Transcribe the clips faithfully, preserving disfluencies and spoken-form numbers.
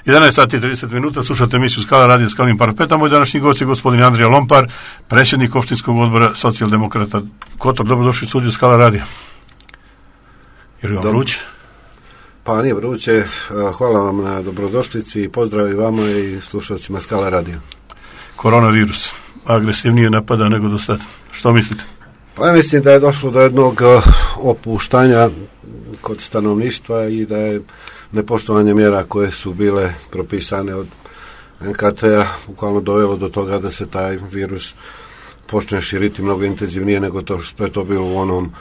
jedanaest sati i trideset minuta, slušate emisiju Skala radio Skalnim parapetom. Moj današnji gost je gospodin Andrija Lompar, predsjednik opštinskog odbora socijaldemokrata Kotor. Dobrodošli u studiju Skala radija. Je li vam Dobro. vruće? Pa nije vruće. Hvala vam na dobrodošlici i pozdrav i vama i slušalcima Skala radija. Koronavirus agresivnije napada nego do sad. Što mislite? Pa ja mislim da je došlo do jednog opuštanja kod stanovništva i da je nepoštovanje mjera koje su bile propisane od en ka te-a bukvalno dovelo do toga da se taj virus počne širiti mnogo intenzivnije nego to što je to bilo u onom,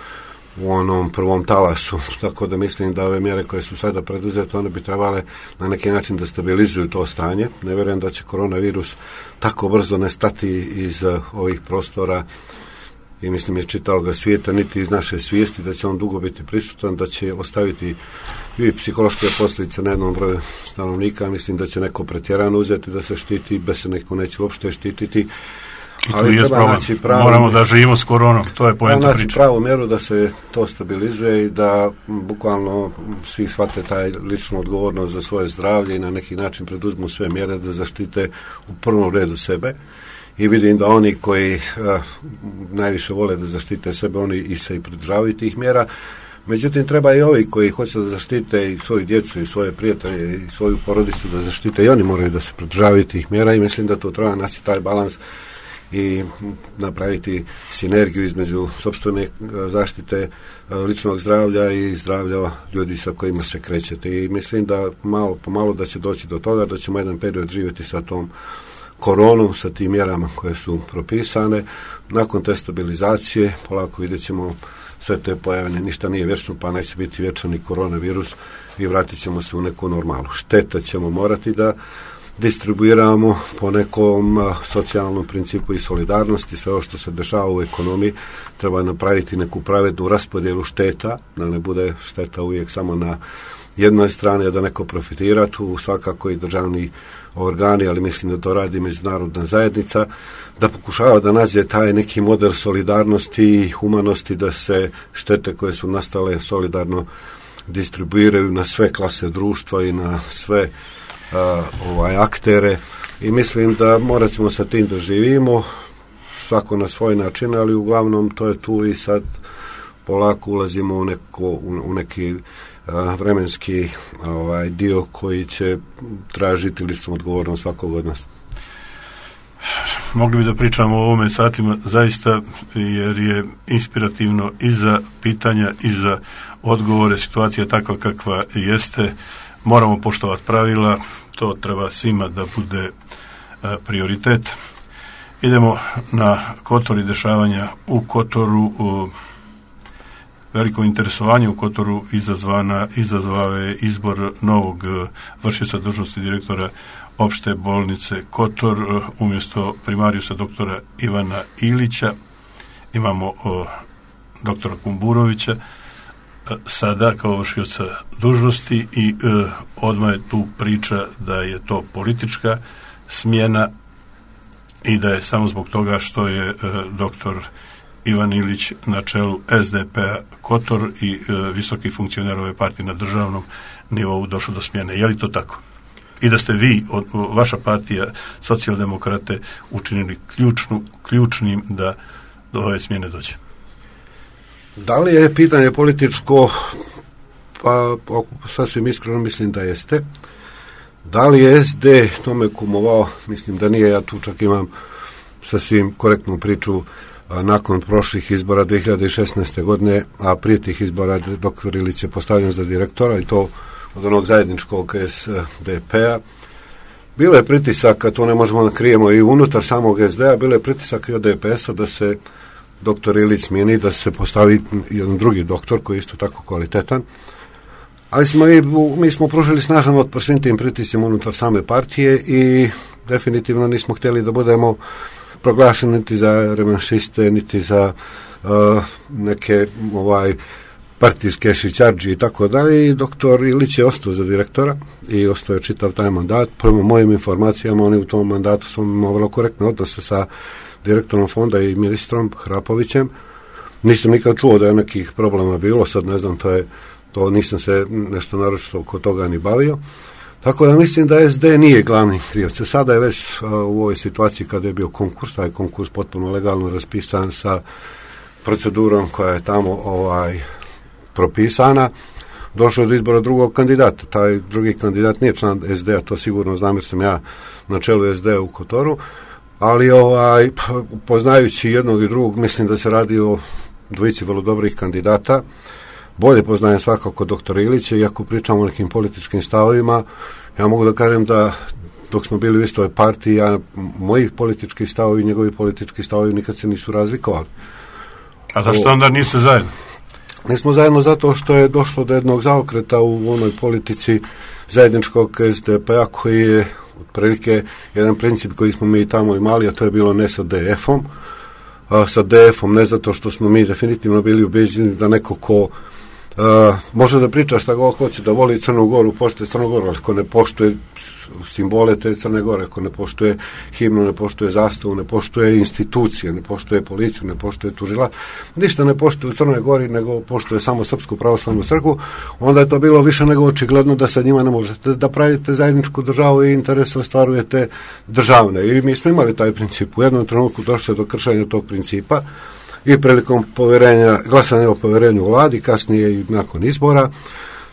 u onom prvom talasu. Tako da mislim da ove mjere koje su sada preduzete, one bi trebale na neki način da stabilizuju to stanje. Ne vjerujem da će koronavirus tako brzo nestati iz ovih prostora i mislim iz čitavog svijeta, niti iz naše svijesti, da će on dugo biti prisutan, da će ostaviti i psihološke posljedice na jednom broju stanovnika. Mislim da će neko pretjerano uzeti da se štiti, bez se neko neće uopšte štititi. I ali treba naći pravu, moramo da živimo s koronom, to je poenta priče. Pravu mjeru da se to stabilizuje i da bukvalno svi shvate taj ličnu odgovornost za svoje zdravlje i na neki način preduzmu sve mjere da zaštite u prvom redu sebe. I vidim da oni koji a, najviše vole da zaštite sebe, oni i se i pridržavaju tih mjera. Međutim, treba i ovi koji hoće da zaštite i svoju djecu i svoje prijatelje i svoju porodicu da zaštite, i oni moraju da se pridržavaju tih mjera i mislim da to treba naći taj balans i napraviti sinergiju između sopstvene zaštite ličnog zdravlja i zdravlja ljudi sa kojima se krećete. I mislim da malo po malo da će doći do toga, da ćemo jedan period živjeti sa tom koronom, sa tim mjerama koje su propisane. Nakon te stabilizacije polako vidjet ćemo sve te pojavne, ništa nije vječno, pa neće biti vječan i koronavirus i vratit ćemo se u neku normalu. Štete ćemo morati da distribuiramo po nekom a, socijalnom principu i solidarnosti. Sve ovo što se dešava u ekonomiji treba napraviti neku pravednu raspodjelu šteta, da ne bude šteta uvijek samo na jednoj strani, a da neko profitira, tu svakako i državni organi, ali mislim da to radi međunarodna zajednica, da pokušava da nađe taj neki model solidarnosti i humanosti, da se štete koje su nastale solidarno distribuiraju na sve klase društva i na sve a, ovaj, aktere. I mislim da morat ćemo sa tim da živimo, svako na svoj način, ali uglavnom to je tu i sad polako ulazimo u, neko, u, u neki a, vremenski ovaj, dio koji će tražiti ličnu odgovornost svakog od nas. Mogli bi da pričamo o ovome satima zaista, jer je inspirativno i za pitanja i za odgovore. Situacija takva kakva jeste, moramo poštovati pravila, to treba svima da bude a, prioritet. Idemo na Kotor i dešavanja u Kotoru. U, veliko interesovanje u Kotoru izazvana, izazvao je izbor novog vršioca dužnosti direktora opšte bolnice Kotor. Umjesto primarijusa doktora Ivana Ilića imamo o, doktora Kumburovića sada kao vršioca dužnosti i e, odmah je tu priča da je to politička smjena i da je samo zbog toga što je e, doktor Ivan Ilić na čelu es de pe-a Kotor i e, visoki funkcioner ove partije na državnom nivou došlo do smjene. Je li to tako? I da ste vi, od, vaša partija, socijaldemokrate, učinili ključnu, ključnim da do ove smjene dođe? Da li je pitanje političko? Pa sasvim iskreno mislim da jeste. Da li je es de tome kumovao? Mislim da nije. Ja tu čak imam sasvim korektnu priču nakon prošlih izbora dvije hiljade šesnaeste. godine, a prije tih izbora doktor Ilić je postavljen za direktora i to od onog zajedničkog es de pe-a. Bilo je pritisaka, to ne možemo da krijemo, i unutar samog es de-a, bilo je pritisak i od de pe es-a da se doktor Ilić smijeni, da se postavi jedan drugi doktor koji je isto tako kvalitetan. Ali smo i, mi smo pružili snažan otpor svim tim pritiscima unutar same partije i definitivno nismo htjeli da budemo proglašeni niti za revanšiste, niti za uh, neke ovaj partijske šićarđi i tako dalje. I doktor Ilić je ostao za direktora i ostao je čitav taj mandat. Prema mojim informacijama, oni u tom mandatu su imali vrlo korektne odnose sa direktorom fonda i ministrom Hrapovićem. Nisam nikad čuo da je nekih problema bilo, sad ne znam, to je to nisam se nešto naročito oko toga ni bavio. Tako da mislim da es de nije glavni krivac. Sada je već uh, u ovoj situaciji kada je bio konkurs, taj konkurs potpuno legalno raspisan sa procedurom koja je tamo ovaj propisana, došlo do izbora drugog kandidata. Taj drugi kandidat nije član es de a, to sigurno znam jer sam ja na čelu es de a u Kotoru, ali ovaj, poznajući jednog i drugog, mislim da se radi o dvojici vrlo dobrih kandidata. Bolje poznajem svakako doktora Ilića, iako pričamo o nekim političkim stavovima, ja mogu da kažem da dok smo bili u istoj partiji, ja, moji politički stavovi i njegovi politički stavovi nikad se nisu razlikovali. A zašto onda niste zajedno? Nismo zajedno zato što je došlo do jednog zaokreta u onoj politici zajedničkog es de pe a koji je otprilike jedan princip koji smo mi tamo imali, a to je bilo ne sa de efom. A, sa de efom ne zato što smo mi definitivno bili ubeđeni da neko ko a, može da priča šta god hoće, da voli Crnu Goru, poštuje Crnu Goru, ali ako ne poštuje simbole te Crne Gore, ako ne poštuje himnu, ne poštuje zastavu, ne poštuje institucije, ne poštuje policiju, ne poštuje tužilaštvo, ništa ne poštuje u Crnoj Gori, nego poštuje samo Srpsku pravoslavnu crkvu, onda je to bilo više nego očigledno da sa njima ne možete da pravite zajedničku državu i interese ostvarujete državne. I mi smo imali taj princip. U jednom trenutku došlo do kršenja tog principa i prilikom poverenja, glasanja o poverenju vladi, kasnije i nakon izbora.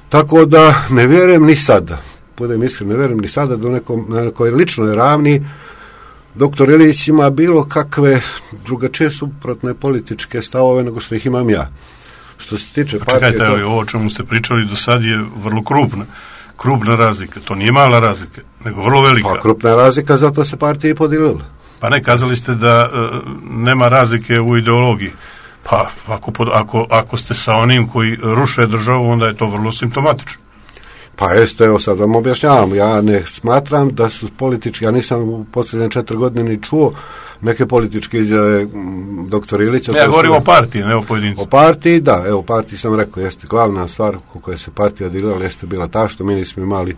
Tako da ne vjerujem ni sada, budem iskren, ne vjerujem ni sada da nekom, na nekoj ličnoj ravni doktor Ilić ima bilo kakve drugačije suprotne političke stavove nego što ih imam ja. Što se tiče partije... Čekajte, to... ovo o čemu ste pričali do sad je vrlo krupna. Krupna razlika. To nije mala razlika, nego vrlo velika. Pa krupna razlika, zato se partija i podijelila. Pa ne, kazali ste da uh, nema razlike u ideologiji. Pa ako, ako, ako ste sa onim koji ruše državu, onda je to vrlo simptomatično. Pa jeste, evo sad vam objašnjavam. Ja ne smatram da su politički, ja nisam u posljednje četiri godine ni čuo neke političke izjave doktora Ilića. Ne, ja govorim o partiji, ne o pojedincu. O partiji, da, evo partiji sam rekao, jeste glavna stvar u kojoj se partija dilala, jeste bila ta što mi nismo imali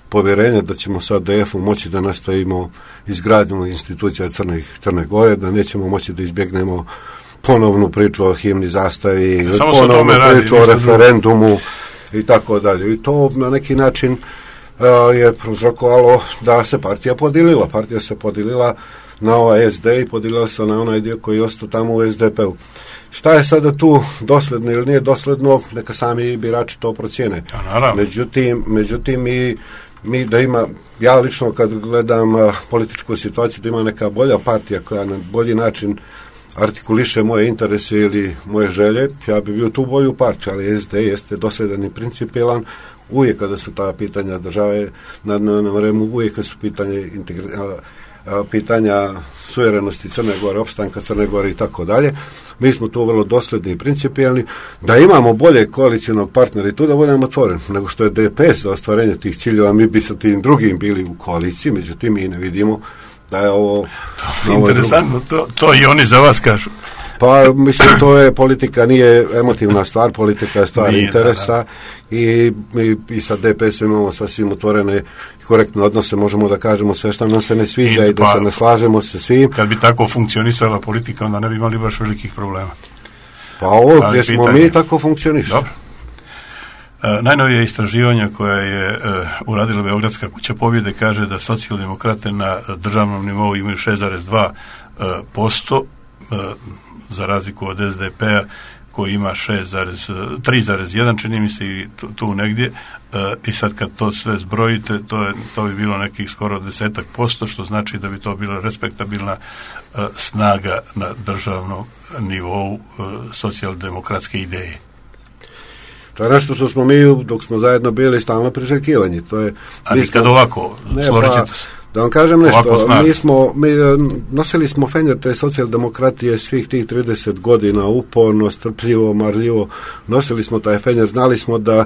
povjerenje da ćemo sa de efom moći da nastavimo izgradnju institucija Crne, Crne Gore, da nećemo moći da izbjegnemo ponovnu priču o himni, zastavi, ja, ponovnu priču o referendumu i tako dalje. I to na neki način uh, je prouzrokovalo da se partija podijelila. Partija se podijelila na ovaj es de i podijelila se na onaj dio koji je ostao tamo u es de pe u. Šta je sada tu dosledno ili nije dosledno, neka sami birači to procijene. Ja, međutim, međutim mi, mi da ima, ja lično kad gledam uh, političku situaciju, da ima neka bolja partija koja na bolji način artikuliše moje interese ili moje želje, ja bi bio tu bolju partiju, ali es de jeste dosledan i principijelan uvijek kada su ta pitanja države na dnevnom redu, uvijek kada su pitanje integri, a, a, pitanja suverenosti Crne Gore, opstanka Crne Gore i tako dalje. Mi smo tu vrlo dosledni i principijelni, da imamo bolje koalicijnog partnera i tu da budemo otvoreni, nego što je de pe es za ostvarenje tih ciljeva, mi bi sa tim drugim bili u koaliciji, međutim mi ne vidimo da je ovo... To je interesantno, to, to i oni za vas kažu. Pa, mislim, to je politika, nije emotivna stvar, politika je stvar nije, interesa da, da. I, i, i sa de pe esom imamo sasvim otvorene i korektne odnose, možemo da kažemo sve što nam se ne sviđa i, i da pa, se ne slažemo se svim. Kad bi tako funkcionisala politika, onda ne bi imali baš velikih problema. Pa ovo gdje smo pitanje. Mi tako funkcioniš. Dobro. E, najnovije istraživanja koje je e, uradila Beogradska kuća pobjede kaže da socijaldemokrate na državnom nivou imaju šest zarez dva posto e, za razliku od es de pe a koji ima tri zarez jedan, čini mi se i tu, tu negdje e, i sad kad to sve zbrojite to, je, to bi bilo nekih skoro desetak posto, što znači da bi to bila respektabilna e, snaga na državnom nivou e, socijaldemokratske ideje. To je nešto što smo mi, dok smo zajedno bili, stalno priželjkivanje. To je, a nikad smo, ovako, složit ćete se. Da vam kažem nešto, mi smo, mi nosili smo fenjer te socijaldemokratije svih tih trideset godina, uporno, strpljivo, marljivo, nosili smo taj fenjer, znali smo da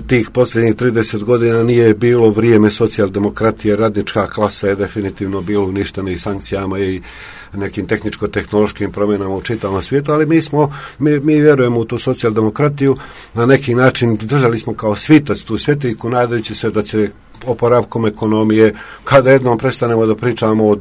tih posljednjih trideset godina nije bilo vrijeme socijaldemokratije, radnička klasa je definitivno bilo uništena i sankcijama i nekim tehničko-tehnološkim promjenama u čitavom svijetu, ali mi smo, mi, mi vjerujemo u tu socijaldemokratiju, na neki način držali smo kao svitac tu svetiljku, nadajući se da će oporavkom ekonomije, kada jednom prestanemo da pričamo o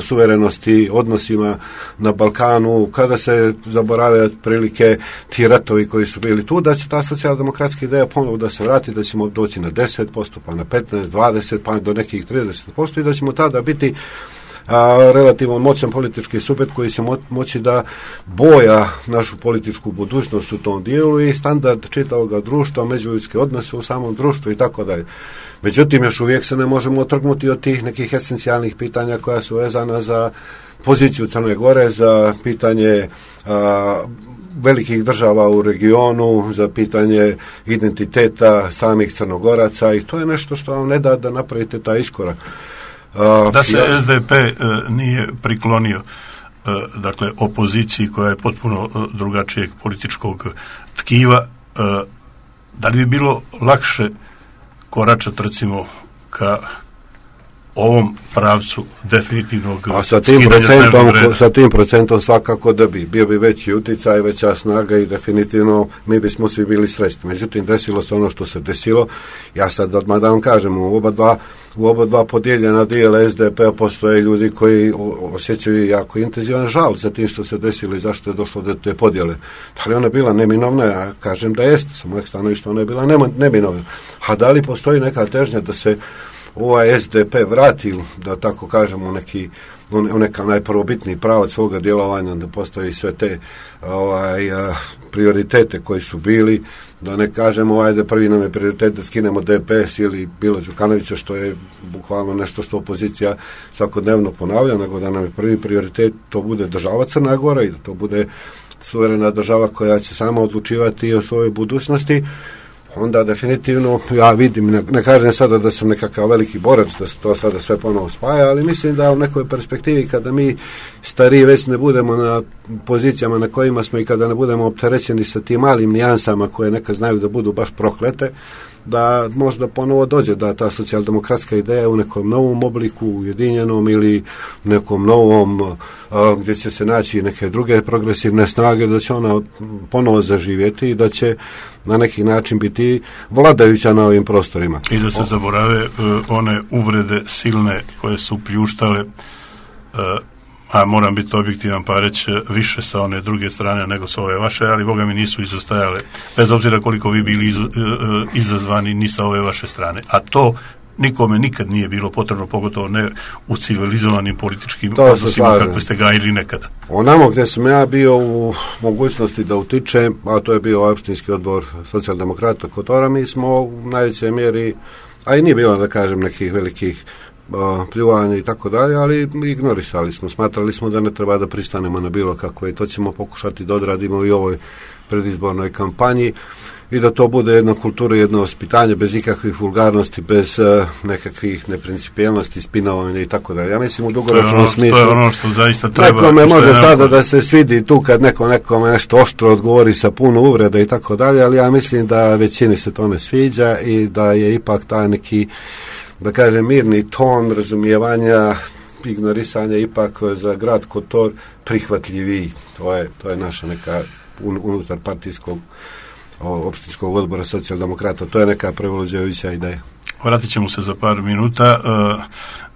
suverenosti, odnosima na Balkanu, kada se zaborave otprilike ti ratovi koji su bili tu, da će ta socijaldemokratska ideja ponovo da se vrati, da ćemo doći na deset posto, pa na petnaest, dvadeset, pa do nekih trideset posto i da ćemo tada biti a, relativno moćan politički subjekt koji će mo- moći da boja našu političku budućnost u tom dijelu i standard čitavog društva, međuljudske odnose u samom društvu i tako dalje. Međutim, još uvijek se ne možemo otrgnuti od tih nekih esencijalnih pitanja koja su vezana za poziciju Crne Gore, za pitanje a, velikih država u regionu, za pitanje identiteta samih Crnogoraca i to je nešto što vam ne da da napravite taj iskorak. Da se S D P nije priklonio dakle opoziciji koja je potpuno drugačijeg političkog tkiva, da li bi bilo lakše koračati recimo ka ovom pravcu definitivnog a sa tim procentom, sa tim procentom svakako da bi bio bi veći uticaj, veća snaga i definitivno mi bismo svi bili srećni. Međutim, desilo se ono što se desilo. Ja sad odmah da vam kažem, u oba dva, u oba dva podijeljena dijela S D P-a postoje ljudi koji osjećaju jako intenzivan žal za tim što se desilo i zašto je došlo do te podjele. Da li ona bila neminovna? Ja kažem da jeste, sa mojeg stanovišta ona je bila neminovna. A da li postoji neka težnja da se ovaj S D P vrati, da tako kažemo, neki, u neka najprvobitniji pravac svoga djelovanja, da postoji sve te ovaj, a, prioritete koji su bili, da ne kažemo ovaj, da prvi nam je prioritet da skinemo D P S ili Bilo Đukanovića, što je bukvalno nešto što opozicija svakodnevno ponavlja, nego da nam je prvi prioritet to bude država Crna Gora i da to bude suverena država koja će sama odlučivati o svojoj budućnosti. Onda definitivno ja vidim, ne, ne kažem sada da sam nekakav veliki borac da se to sada sve ponovo spaja, ali mislim da u nekoj perspektivi kada mi stariji već ne budemo na pozicijama na kojima smo i kada ne budemo opterećeni sa tim malim nijansama koje neka znaju da budu baš proklete, da možda ponovo dođe da ta socijaldemokratska ideja u nekom novom obliku, ujedinjenom ili nekom novom a, gdje će se naći neke druge progresivne snage, da će ona ponovo zaživjeti i da će na neki način biti vladajuća na ovim prostorima. I da se zaborave uh, one uvrede silne koje su pljuštale, uh, a moram biti objektivan pa reći više sa one druge strane nego sa ove vaše, ali boga mi nisu izostajale, bez obzira koliko vi bili iz, uh, izazvani ni sa ove vaše strane. A to nikome nikad nije bilo potrebno, pogotovo ne u civilizovanim političkim odnosima kakve ste gajili nekada. Onamo gdje sam ja bio u mogućnosti da utičem, a to je bio opštinski odbor socijaldemokrata Kotora, mi smo u najvećoj mjeri, a i nije bilo da kažem nekih velikih uh, pljuvanja i tako dalje, ali ignorisali smo, smatrali smo da ne treba da pristanemo na bilo kakve i to ćemo pokušati da odradimo i u ovoj predizbornoj kampanji i da to bude jedna kultura, jedno vaspitanje bez ikakvih vulgarnosti, bez uh, nekakvih neprincipijelnosti, spinovanja i tako dalje. Ja mislim u dugoročnom ono, smislu. To je ono što zaista treba. Nekome može sada da se svidi tu kad neko nekome nešto oštro odgovori sa puno uvreda i tako dalje, ali ja mislim da većini se to ne sviđa i da je ipak taj neki, da kažem, mirni ton razumijevanja, ignorisanja ipak za grad Kotor prihvatljiviji. To je, to je naša neka un, unutar partijskog opštinskog odbora socijaldemokrata, to je neka prevoluđujuća ideja. Vratit ćemo se za par minuta uh,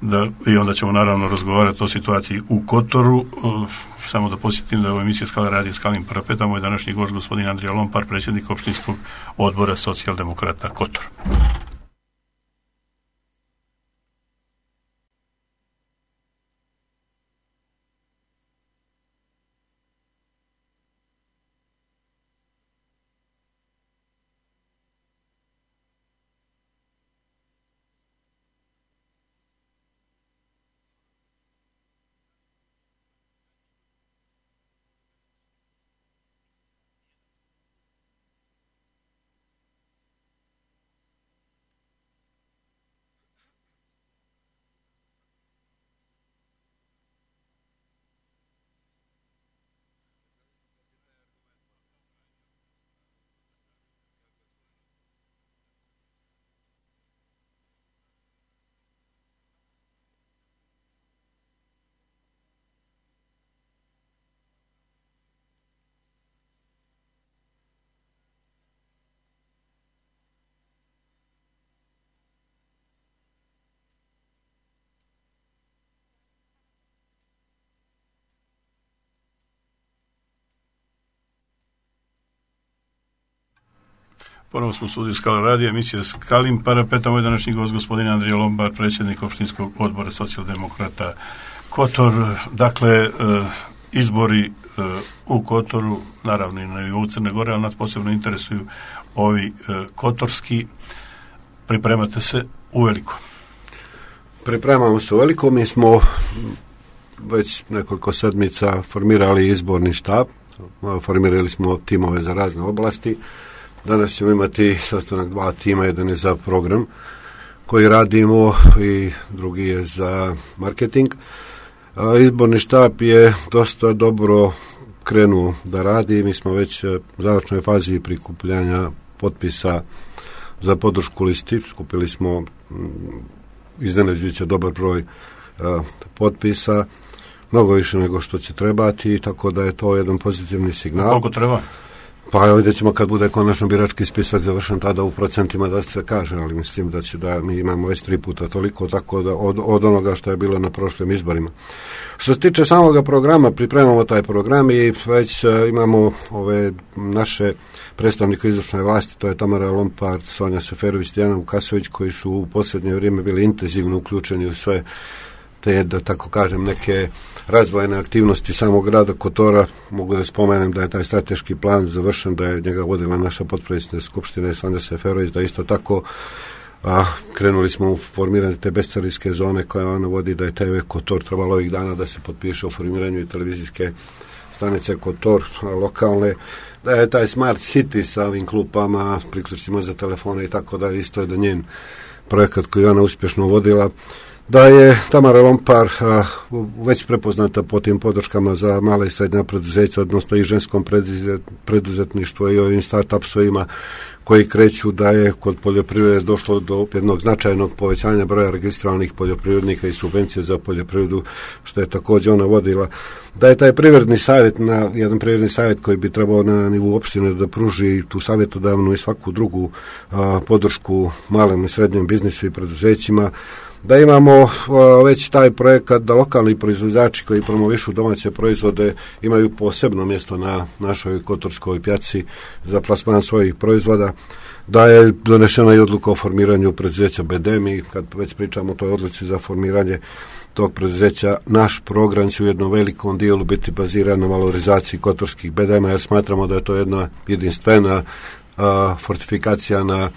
da, i onda ćemo naravno razgovarati o situaciji u Kotoru. Uh, samo da posjetim da je ovo emisija Skala radi Skalim parapeta, moj današnji gost gospodin Andrija Lompar, predsjednik opštinskog odbora socijaldemokrata Kotor. Ponovo smo u studiju Skala radija, emisija Skalim parapeta. Moj današnji gost, gospodin Andrija Lombar, predsjednik opštinskog odbora socijaldemokrata Kotor. Dakle, izbori u Kotoru, naravno i na nivou Crne Gore, ali nas posebno interesuju ovi kotorski. Pripremate se uveliko? Pripremamo se uveliko. Mi smo već nekoliko sedmica formirali izborni štab. Formirali smo timove za razne oblasti. Danas ćemo imati sastanak dva tima, jedan je za program koji radimo i drugi je za marketing. Izborni štab je dosta dobro krenuo da radi. Mi smo već u završnoj fazi prikupljanja potpisa za podršku listi. Skupili smo iznenađujuće dobar broj potpisa, mnogo više nego što će trebati, tako da je to jedan pozitivni signal. Koliko treba? Pa vidjet ćemo kad bude konačno birački spisak završen, tada u procentima da se kaže, ali mislim da će da mi imamo već tri puta toliko, tako da od, od onoga što je bilo na prošlim izborima. Što se tiče samoga programa, pripremamo taj program i već uh, imamo ove naše predstavnike izvršne vlasti, to je Tamara Lompar, Sonja Seferović, Dijana Vukasović, koji su u posljednje vrijeme bili intenzivno uključeni u sve te, da tako kažem, neke razvojne aktivnosti samog grada Kotora. Mogu da spomenem da je taj strateški plan završen, da je njega vodila naša potpredsjednica Skupštine Sonja Seferović, da isto tako a, krenuli smo u formiranje te bescarinske zone koje ona vodi, da je T V Kotor trebalo ovih dana da se potpiše o formiranju i televizijske stanice Kotor lokalne, da je taj Smart City sa ovim klupama, priključcima za telefone i tako da isto je da njen projekat koji ona uspješno vodila, da je Tamara Lompar a, već prepoznata po tim podrškama za mala i srednja preduzeća, odnosno i ženskom preduzet, preduzetništvu i ovim start-upsovima koji kreću, da je kod poljoprivrede došlo do jednog značajnog povećanja broja registrovanih poljoprivrednika i subvencije za poljoprivredu, što je također ona vodila, da je taj privredni savjet, na jedan privredni savjet koji bi trebao na nivou opštine da pruži tu savjetodavnu i svaku drugu a, podršku malem i srednjem biznisu i preduzećima, da imamo uh, već taj projekat da lokalni proizvođači koji promovišu domaće proizvode imaju posebno mjesto na našoj kotorskoj pjaci za plasman svojih proizvoda, da je donešena i odluka o formiranju preduzeća B D M i kad već pričamo o toj odluci za formiranje tog preduzeća, naš program će u jednom velikom dijelu biti baziran na valorizaciji kotorskih B D M-a, jer smatramo da je to jedna jedinstvena uh, fortifikacija na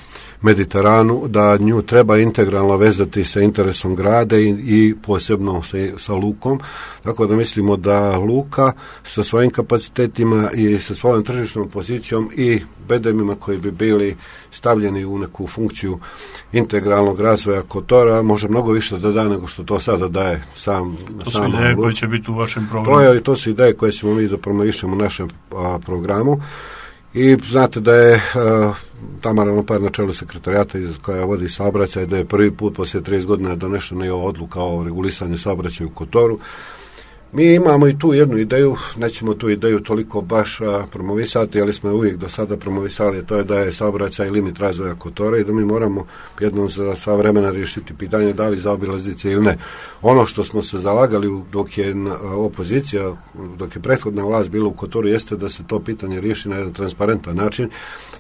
Mediteranu, da nju treba integralno vezati sa interesom grada i, i posebno sa, sa lukom, tako da mislimo da luka sa svojim kapacitetima i sa svojom tržišnom pozicijom i B D M-ima koji bi bili stavljeni u neku funkciju integralnog razvoja Kotora može mnogo više da da nego što to sada daje sam. To su ideje koje će biti u vašem programu. To, je, to su ideje koje ćemo mi da promovišemo u našem a, programu. I znate da je uh, Tamara Lompar na čelu sekretarijata koja vodi saobraćaj, da je prvi put poslije trideset godina donešena i ova odluka o regulisanju saobraćaja u Kotoru. Mi imamo i tu jednu ideju, nećemo tu ideju toliko baš a, promovisati, ali smo uvijek do sada promovisali, to je da je saobraćaj limit razvoja Kotora i da mi moramo jednom za sva vremena riješiti pitanje da li zaobilaznice ili ne. Ono što smo se zalagali dok je opozicija, dok je prethodna vlast bila u Kotoru, jeste da se to pitanje riješi na jedan transparentan način.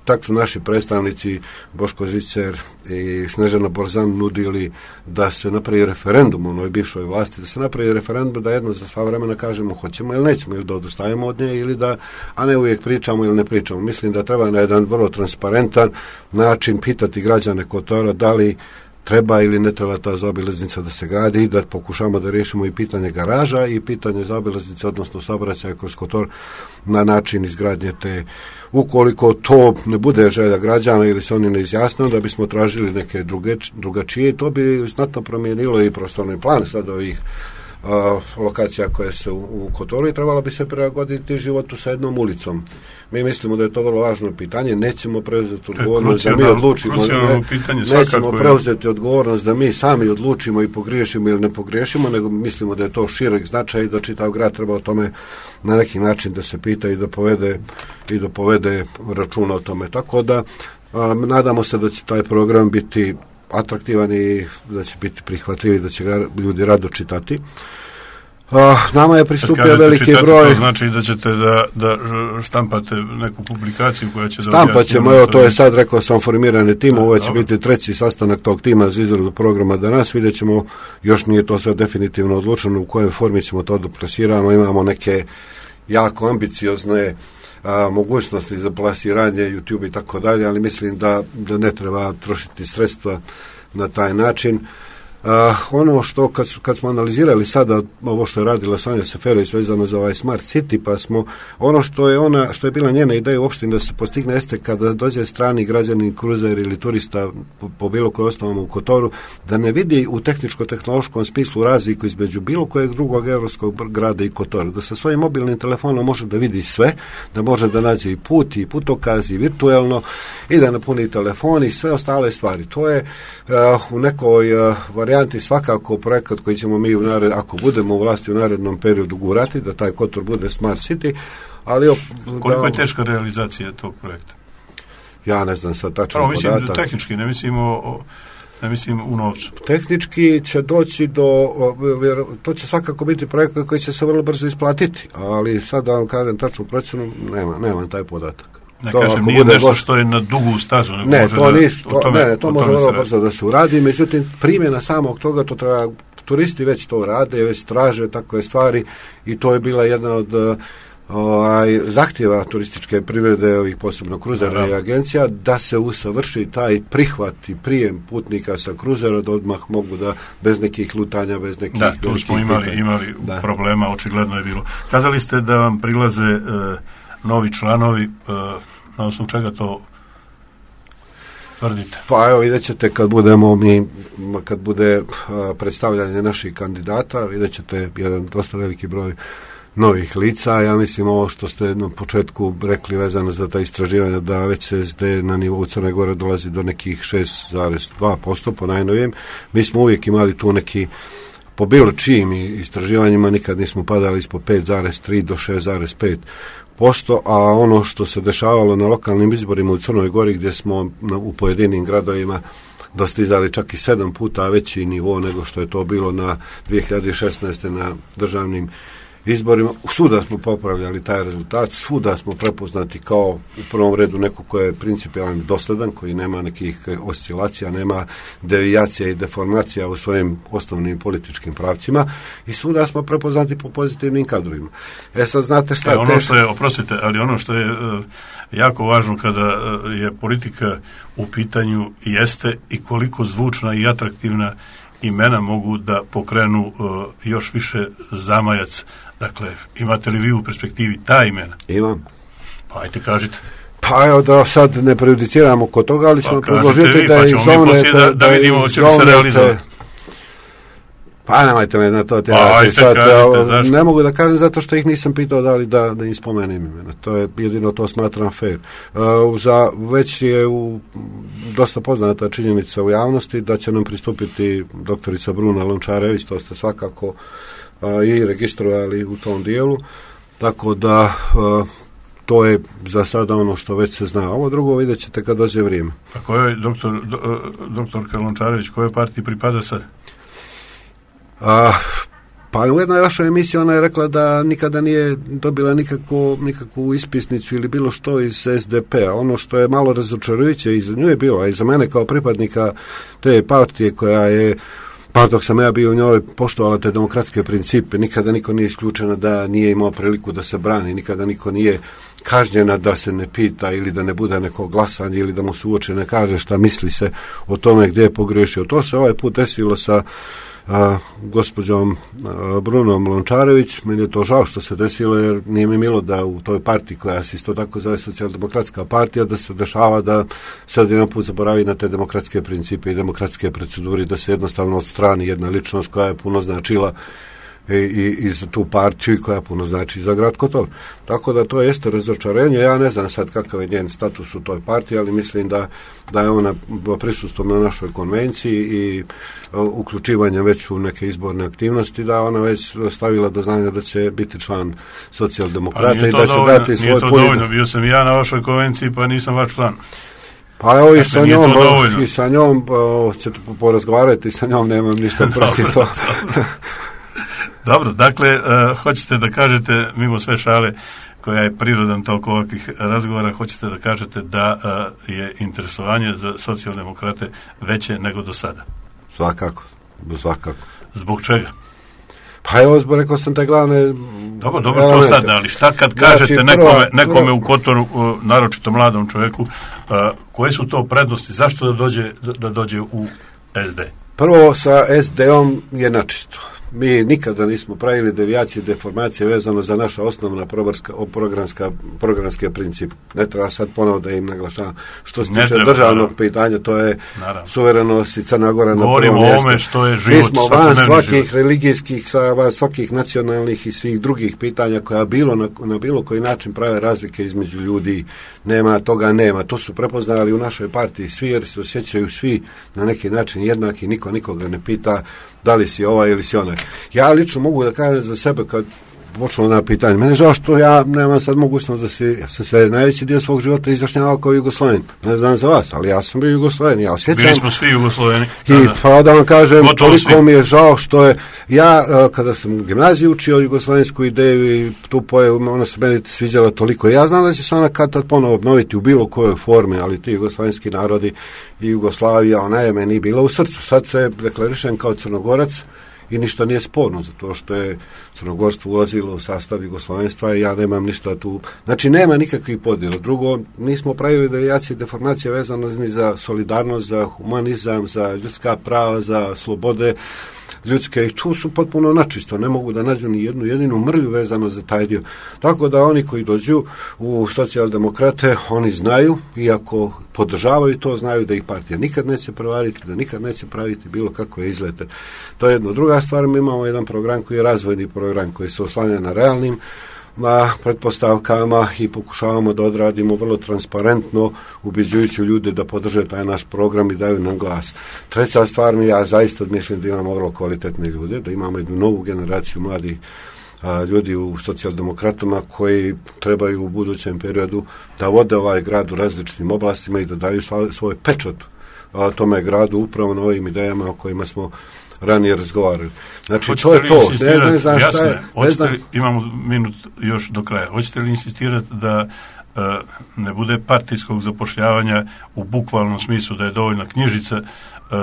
Tako su naši predstavnici Boško Zicer i Snežana Borzan nudili da se napravi referendum u onoj bivšoj vlasti, da se napravi referendum da jedno za sva vremena kažemo hoćemo ili nećemo, ili da odustajemo od nje, ili da, a ne uvijek pričamo ili ne pričamo. Mislim da treba na jedan vrlo transparentan način pitati građane Kotora da li treba ili ne treba ta zaobilaznica da se gradi i da pokušamo da riješimo i pitanje garaža i pitanje zaobilaznice, odnosno saobraćaja kroz Kotor na način izgradnje te. Ukoliko to ne bude želja građana ili se oni ne izjasne, da bismo tražili neke druge, drugačije, to bi znatno promijenilo i prostorni plan sad ovih a, lokacija koje su u, u Kotoru i trebalo bi se prilagoditi životu sa jednom ulicom. Mi mislimo da je to vrlo važno pitanje, nećemo preuzeti odgovornost da mi odlučimo, ne, pitanje, nećemo preuzeti odgovornost da mi sami odlučimo i pogriješimo ili ne pogriješimo, nego mislimo da je to širok značaj i da čitav grad treba o tome na neki način da se pita i da povede i da povede računa o tome. Tako da a, nadamo se da će taj program biti atraktivan i da će biti prihvatljiv i da će ga ljudi rado čitati. Uh, nama je pristupio veliki čitati, broj. To znači da ćete da, da štampate neku publikaciju koja će da Štampat ćemo, evo, to je sad, rekao sam, formirani tim, ovo će dobro. Biti treći sastanak tog tima za izradu programa danas, vidjet ćemo, još nije to sve definitivno odlučeno u kojoj formi ćemo to doplasiramo, imamo neke jako ambiciozne a, mogućnosti za plasiranje YouTube i tako dalje, ali mislim da, da ne treba trošiti sredstva na taj način. Uh, ono što kad, kad smo analizirali sada ovo što je radila Sonja Seferović vezano za ovaj Smart City, pa smo ono što je ona što je bila njena ideja uopšte da se postigne jeste kada dođe strani građanin, kruzer ili turista po, po bilo kojoj osnovama u Kotoru, da ne vidi u tehničko-tehnološkom smislu razliku između bilo kojeg drugog evropskog grada i Kotora, da sa svojim mobilnim telefonom može da vidi sve, da može da nađe i put i putokaz i virtuelno i da napuni telefon i sve ostale stvari. To je uh, u nekoj uh, varijanti svakako projekat koji ćemo mi u nared, ako budemo u vlasti u narednom periodu gurati, da taj Kotor bude Smart City, ali... Op, koliko da, je teška realizacija tog projekta? Ja ne znam sad tačan podatak. Mislim podatak. Tehnički, ne mislim o, ne mislim u novcu. Tehnički će doći do, to će svakako biti projekat koji će se vrlo brzo isplatiti, ali sad da vam kažem tačnu procenu, nema, nemam taj podatak. Ne to, kažem, nije nešto gost... što je na dugu stazu. Ne, može to, da, nis, to, tome, ne, to može vrlo brzo da se uradi, međutim, primjena samog toga, to treba, turisti već to rade, već traže takve stvari i to je bila jedna od ovaj, zahtjeva turističke privrede, ovih posebno kruzera i agencija, da se usavrši taj prihvat i prijem putnika sa kruzera, da odmah mogu da, bez nekih lutanja, bez nekih... Da, tu smo imali, imali da. problema, očigledno je bilo. Kazali ste da vam prilaze e, novi članovi, e, na osnovu čega to tvrdite? Pa evo, vidjet ćete kad budemo mi, kad bude a, predstavljanje naših kandidata, vidjet ćete jedan dosta veliki broj novih lica. Ja mislim ovo što ste na početku rekli vezano za ta istraživanja, da već se S D na nivou Crne Gore dolazi do nekih šest zarez dva posto po najnovijem. Mi smo uvijek imali tu neki, po bilo čijim istraživanjima nikad nismo padali ispod pet zarez tri do šest zarez pet posto, a ono što se dešavalo na lokalnim izborima u Crnoj Gori, gdje smo u pojedinim gradovima dostizali čak i sedam puta veći nivo nego što je to bilo na dvije hiljade šesnaeste na državnim izborima. Svuda smo popravljali taj rezultat, svuda smo prepoznati kao u prvom redu neko ko je principijalno dosledan, koji nema nekih oscilacija, nema devijacija i deformacija u svojim osnovnim političkim pravcima i svuda smo prepoznati po pozitivnim kadrovima. E sad znate šta... E, ono što je, oprostite, ali ono što je uh, jako važno kada uh, je politika u pitanju jeste i koliko zvučna i atraktivna imena mogu da pokrenu uh, još više zamajac. Dakle, imate li vi u perspektivi ta imena? Imam. Pa ajte kažite. Pa evo da sad ne prejudiciramo kod toga, ali ćemo pa predložiti da pa ih zovnete... Da, da vidimo hoće li se realizovati. Pa nemojte me na to tjerati. Sad, kažete, ne mogu da kažem zato što ih nisam pitao da li da, da im spomenem imena. To je jedino, to smatram fair. Uh, za, već je u, dosta poznata činjenica u javnosti da će nam pristupiti doktorica Bruna Lončarević, to ste svakako uh, i registrovali u tom dijelu. Tako da uh, to je za sada ono što već se zna. Ovo drugo vidjet ćete kad dođe vrijeme. A kojoj doktor, do, doktorka Lončarević, kojoj partiji pripada sad? A, pa u jednoj vašoj emisiji ona je rekla da nikada nije dobila nikakvu, nikakvu ispisnicu ili bilo što iz S D P-a. Ono što je malo razočarujuće i za nju je bilo, a i za mene kao pripadnika te partije koja je, pa dok sam ja bio u njoj, poštovala te demokratske principe, nikada niko nije isključena da nije imao priliku da se brani, nikada niko nije kažnjena da se ne pita ili da ne bude neko glasanje ili da mu se uoče ne kaže šta misli se o tome gdje je pogrešio. To se ovaj put desilo sa a, gospođom a, Brunom Lončarević. Meni je to žao što se desilo, jer nije mi milo da u toj partiji koja se isto tako zove socijaldemokratska partija, da se dešava da sad jedan put zaboravi na te demokratske principe i demokratske proceduri, da se jednostavno odstrani jedna ličnost koja je puno značila i, i, i za tu partiju i koja puno znači za grad Kotor. Tako da to jeste razočarenje. Ja ne znam sad kakav je njen status u toj partiji, ali mislim da, da je ona prisustvom na našoj konvenciji i uh, uključivanjem već u neke izborne aktivnosti, da ona već stavila do znanja da će biti član socijaldemokrata i da će dovoljno, dati svoj... Nije to pojed... dovoljno, bio sam i ja na vašoj konvenciji pa nisam vaš član. Pa evo i sa njom, i sa njom o, ćete porazgovarati, sa njom nemam ništa protiv to. Dobro, dakle, uh, hoćete da kažete, mimo sve šale koja je prirodan tok ovakvih razgovora, hoćete da kažete da uh, je interesovanje za socijaldemokrate veće nego do sada? Svakako, svakako. Zbog čega? Pa evo, zbog, rekao sam te glavne... Dobro, dobro, to sad, ali šta kad kažete znači, prvo, nekome, nekome prvo, u Kotoru, uh, naročito mladom čovjeku, uh, koje su to prednosti, zašto da dođe, da, da dođe u es de? Prvo, sa es de-om je načisto. Mi nikada nismo pravili devijacije, deformacije vezano za naša osnovna programska, programske princip. Ne treba sad ponovo da im naglašavam. Što se tiče državnog pitanja, to je naravno. Suverenost i Crna Gora na prvom mjestu. Govorimo o ome što je život. Mi smo van svakih život. religijskih, van svakih nacionalnih i svih drugih pitanja koja bilo na, na bilo koji način prave razlike između ljudi. Nema, toga nema. To su prepoznali u našoj partiji svi, jer se osjećaju svi na neki način jednaki, niko nikoga ne pita da li si ovaj ili si onaj. Ja lično mogu da kažem za sebe kad počelo na pitanje. Mene žao što ja nemam sad mogućnost da se, ja sam sve najveći dio svog života izjašnjavao kao Jugosloven. Ne znam za vas, ali ja sam bio Jugosloven. Ja osjećam. Bili smo svi Jugosloveni. I pa da vam kažem, gotovo toliko svi. Mi je žao što je, ja kada sam u gimnaziji učio jugoslovensku ideju i tu poje, ona se meni sviđala toliko. Ja znam da će se ona kad tad ponovo obnoviti u bilo kojoj formi, ali ti jugoslovenski narodi i Jugoslavija, ona je meni bila u srcu. Sad se deklarišem kao Crnogorac, i ništa nije sporno, zato što je crnogorstvo ulazilo u sastav jugoslovenstva i ja nemam ništa tu. Znači, nema nikakvih podjela. Drugo, nismo pravili devijacije i deformacije vezano za solidarnost, za humanizam, za ljudska prava, za slobode ljudske i tu su potpuno načisto. Ne mogu da nađu ni jednu jedinu mrlju vezano za taj dio. Tako da oni koji dođu u socijaldemokrate, oni znaju, iako podržavaju to, znaju da ih partija nikad neće prevariti, da nikad neće praviti bilo kakve izlete. To je jedno. Druga stvar, mi imamo jedan program koji je razvojni program, koji se oslanja na realnim na pretpostavkama i pokušavamo da odradimo vrlo transparentno, ubeđujući ljude da podrže taj naš program i daju nam glas. Treća stvar, mi ja zaista mislim da imamo vrlo kvalitetne ljude, da imamo jednu novu generaciju mladih a, ljudi u socijaldemokratama koji trebaju u budućem periodu da vode ovaj grad u različitim oblastima i da daju svoj pečat a, tome gradu upravo na ovim idejama o kojima smo ranije razgovarali. Znači, hoćete to je to. Ne, ne znam šta jasne, je. Ne znam. Imamo minut još do kraja. Hoćete li insistirati da uh, ne bude partijskog zapošljavanja u bukvalnom smislu, da je dovoljna knjižica, uh,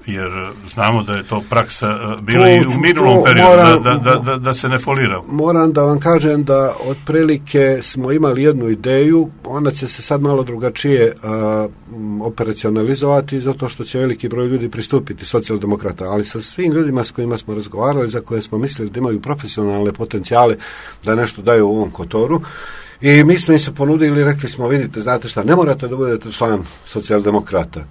jer znamo da je to praksa uh, bila to, i u minulom periodu, moram, da, da, da, da se ne folira. Moram da vam kažem da otprilike smo imali jednu ideju, ona će se sad malo drugačije uh, operacionalizovati, zato što će veliki broj ljudi pristupiti socijaldemokrata, ali sa svim ljudima s kojima smo razgovarali, za koje smo mislili da imaju profesionalne potencijale da nešto daju u ovom Kotoru, i mi smo im se ponudili, rekli smo, vidite, znate šta, ne morate da budete član socijaldemokrata.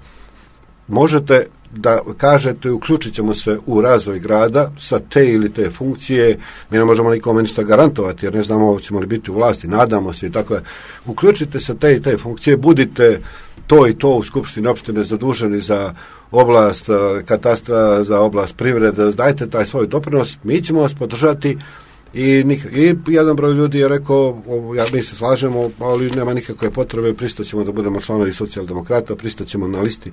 Možete da kažete, uključit ćemo se u razvoj grada sa te ili te funkcije, mi ne možemo nikome ništa garantovati, jer ne znamo ćemo li biti u vlasti, nadamo se i tako je. Uključite se te i te funkcije, budite to i to u Skupštini opštine zaduženi za oblast katastra, za oblast privrede, dajte taj svoj doprinos, mi ćemo vas podržati. I, I jedan broj ljudi je rekao, ja, mi se slažemo, ali nema nikakve potrebe, pristaćemo da budemo članovi socijaldemokrata, pristaćemo na listi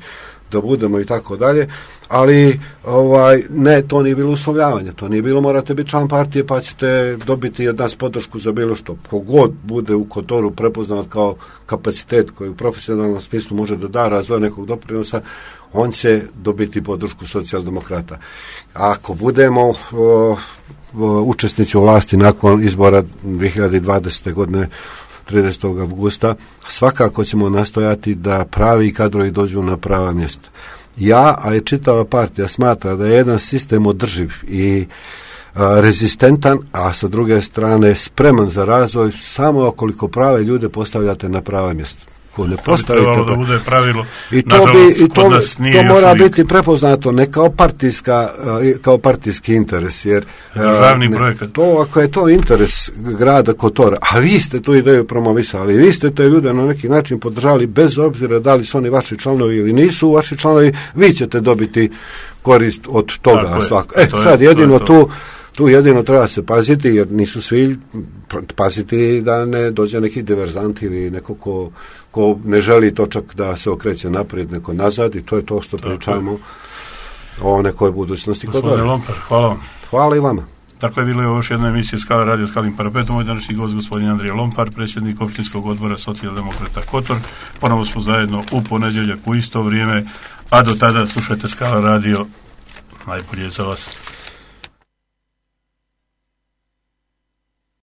da budemo i tako dalje, ali ovaj, ne, to nije bilo uslovljavanje, to nije bilo morate biti član partije pa ćete dobiti od nas podršku za bilo što. Kogod bude u Kotoru prepoznat kao kapacitet koji u profesionalnom smislu može da da razvoj nekog doprinosa, on će dobiti podršku socijaldemokrata. Ako budemo o, učesnici u vlasti nakon izbora dve hiljade dvadesete. godine tridesetog avgusta, svakako ćemo nastojati da pravi kadrovi dođu na prava mjesta. Ja, a i čitava partija smatra da je jedan sistem održiv i a, rezistentan, a sa druge strane spreman za razvoj samo koliko prave ljude postavljate na prava mjesta. Ko ne postavite, to bi da bude pravilo. I to, bi, i to, to mora uvijek biti prepoznato ne kao partijska, kao partijski interes, jer državni projekat. To, ako je to interes grada Kotora, a vi ste tu ideju promovisali, vi ste te ljude na neki način podržali, bez obzira da li su oni vaši članovi ili nisu vaši članovi, vi ćete dobiti korist od toga svako. E, sad je, jedino to tu Tu jedino treba se paziti, jer nisu svi paziti da ne dođe neki diverzant ili neko ko, ko ne želi to čak da se okreće naprijed, neko nazad, i to je to što pričamo o nekoj budućnosti. Gospodine Lompar, hvala vam. Hvala i vama. Dakle, bilo je još jedna emisija Skala radio Skalim parapetom. Moj današnji gost gospodin Andrija Lompar, predsjednik općinskog odbora Socijaldemokrata Kotor. Ponovo smo zajedno u ponedjeljak u isto vrijeme, a do tada slušajte Skala radio. Najbolje za vas.